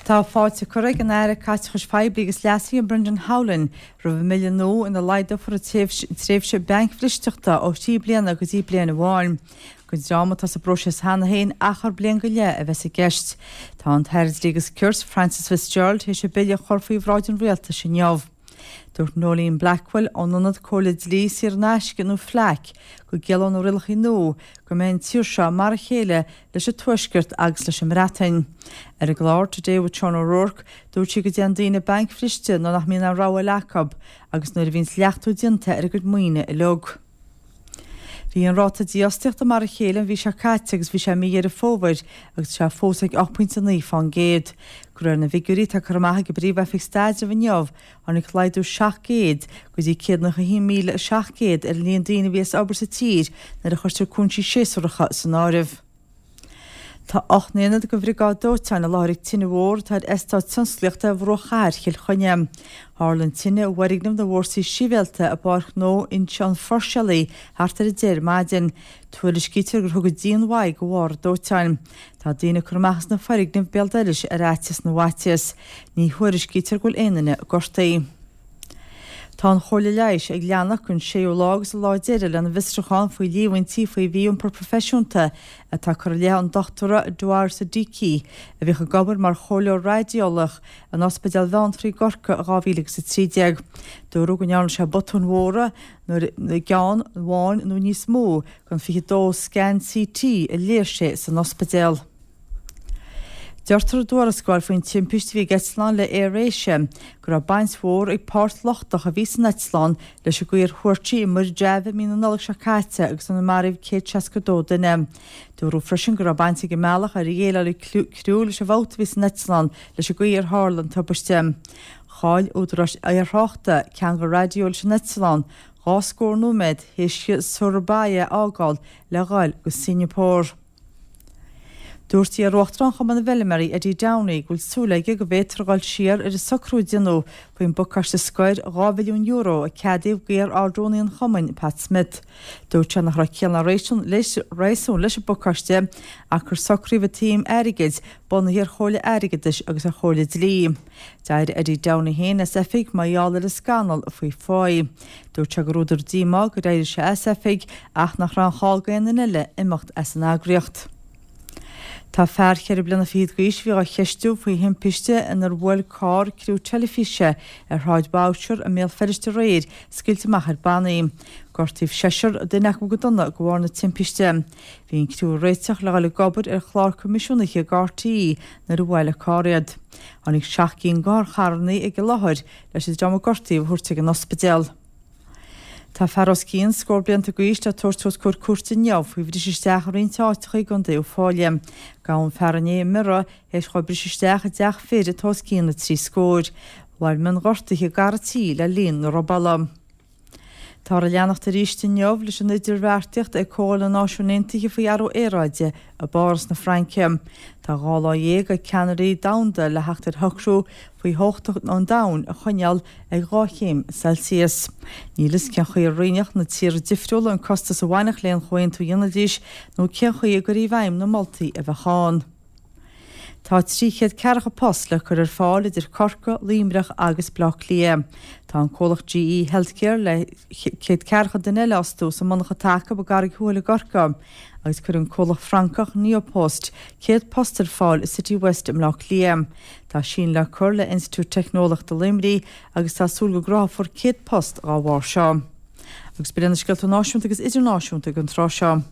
Tá fáilte curtha ag an Aire Caiteachais Phoiblí agus Leasaithe Brendan Howlin roimh an mbille nua ina laghdófar an tréimhse bancbhristeachta ó thrí bliana go dtí bliain amháin. Don dream atá sa bpróiseas cheana féin, achar bliain go leith a bheas i gceist. Tá an tAire Dlí agus Cirt, Frances Fitzgerald, théis an bille a chur faoi bhráid an Rialtais inniu. Dúirt Noeline Blackwell ón Ionad Comhairle Dlí Saor in Aisce nó FLAC go gciallóidh na rialacha nua go mbeidh an tír seo mar a chéile leis an Tuaisceart agus leis an mBreatain. Ar an gclár Today with Sean O'Rourke dúirt sí go dtéann daoine bancbhriste nuair nach mbíonn aon rogha eile acu agus nuair a bhíonns leachtú déanta ar a gcuid maoine uilig. Bhí an ráta dífhostaíochta mar a chéile an mhí seo caite agus bhí sé i mí Dheireadh Fómhair agus tá sé fós ag 8.9 fán gcéad. De réir na bhfigiúirí atá curtha amach ag an bPríomh-Oifig Staidrimh inniu, tháinig laghdú 700 go dtí 191,700 ar an líon daoine a bhí as obair sa tír nuair a chuirtear cúinsí séasúracha san áireamh. Tá 8 n-aonad den Bhriogáid Dóiteáin i láthair ag tine mhór atá ar eastát tionsclaíochta ar bhruach chathair Chill Chainnigh. Tharla an tine i bhfoirgneamh na bhFórsaí Sibhialta i bPáirc Ghnó Inse an Pháirséalaigh thart ar 10 ar maidin. Tuairiscítear gur thug an díon mhaith de bharr an dóiteáin. Tá daoine ag cur amach as na foirgnimh béal dorais ar fhaitíos na bhfaitíos. Ní thuairiscítear go bhfuil aon duine gortaithe. Tá an Chomhairle Leighis ag leanacht don séú lá agus an lá deiridh lena bhfiosrúchán faoi líomhaintí faoi mhí-iompar proifisiúnta atá curtha i leith an Dochtúra Dawar Siddiqui, a bhíodh ag obair mar chomhairleoir raideolaíoch in Ospidéal Bheanntraí i gCorcaigh i 2013. Dúradh go ndearna sé botúin mhóra nuair i gceann amháin nó níos mó den 22 scan CT a léigh sé san ospidéal. Deirtear i dtuarascáil faoin timpiste a bhí ag eitleán le Air Asia go raibh baint mhór ag páirt lochtach a bhí san eitleán leis an gcaoi ar thuairt sí i Muir Java i mí na Nollag seo caite agus inar maraíodh 162 duine. Dúradh freisin go raibh baint ag an mbealach ar dhéileáil an criú leis an bhfabht a bhí san eitleán leis an gcaoi ar tharla an tubaiste. Chaill údaráis aerthráchta ceangal raidió leis an eitleán dhá scór nóiméad théis di Surabaya a fhágáil le dhul go Singeapór. Dúirt iar-Uachtarán Chumann na bhFeilméaraí, Eddie Downey, go bhfuil súil aige go bhféadfar a dhul siar ar an socrú a déanadh faoin bpacáiste scoir €2 bhilliún a ceadaíodh d'iar-Ard-Rúnaí an chumainn, Pat Smith. Dúirt sé nach raibh ciall ná réasún leis an bpacáiste ach gur socraíodh an tsuim airgid bunaithe ar chomhairle airgeadais agus ar chomhairle dlí. D'éirigh Eddie Downey féin as oifig mar gheall ar an scannal faoi pháí. Dúirt sé gur údar díomá gur éirigh sé as oifig ach nach raibh aon chall d'aon duine eile imeacht as an eagraíocht. Tá fear cheithre bliana fichead d'aois a bhí á cheistiú faoi thimpiste inar bhuail carr criú teilifíse ar Shráid Boucher i mBéal Feirste aréir scaoilte amach ar bannaí. Gortaíodh seisear, duine acu go dona, de bharr na timpiste. Bhí an criú ag réiteach le dhul ag obair ar chlár coimisiúnaithe ag RTÉ nuair a bhuail an carr iad. Tháinig seacht gcinn d'otharcharranna ag an láthair leis an dream a gortaíodh a thabhairt ag an ospidéal. Tá fear os cionn scór blianta d'aois le tabhairt os comhair cúirte inniu faoi bhriseadh isteach i roinnt áiteacha i gContae Uíbh Fhailí. Gabhadh an fear inné i mBiorra théis dhó briseadh isteach i dteach fir atá os cionn na dtrí scóir. Mhair mionghortuithe ag fear an tí le linn na robála. Táthar ag leanacht arís inniu leis an idirbheartaíocht ag Comhdháil na Náisiún Aontaithe faoi athrú aeráide i bPáras na Fraince. Tá 12 lá ag ceannairí domhanda le theacht ar shocrú faoi theocht an domhain a choinneáil ag 2 chéim Celsius. Níl fhios cén chaoi a roinnfeadh na tíortha difriúla an costas a bhainfeadh le haon chomhaontú a dhéanfaidís nó cén chaoi a gcuirfí i bhfeidhm na moltaí a bheadh ann. Tá 340 post le cur ar fáil idir Corcaigh, Luimneach agus Baile Átha Cliath. Tá an comhlacht GE Healthcare le 140 duine eile a fhostú sa monarcha atá acu i gCarraig Thuathail i gCorcaigh agus cuirfidh an comhlacht Francach Neopost 100 post ar fáil i City West i mBleá Cliath. Tá síneadh le cur le Institiúid Teicneolaíochta Luimnigh agus tá súil go gcruthófar 100 post dá bharr seo. Agus b'in iad na scéalta náisiúnta agus idirnáisiúnta ag an tráth seo.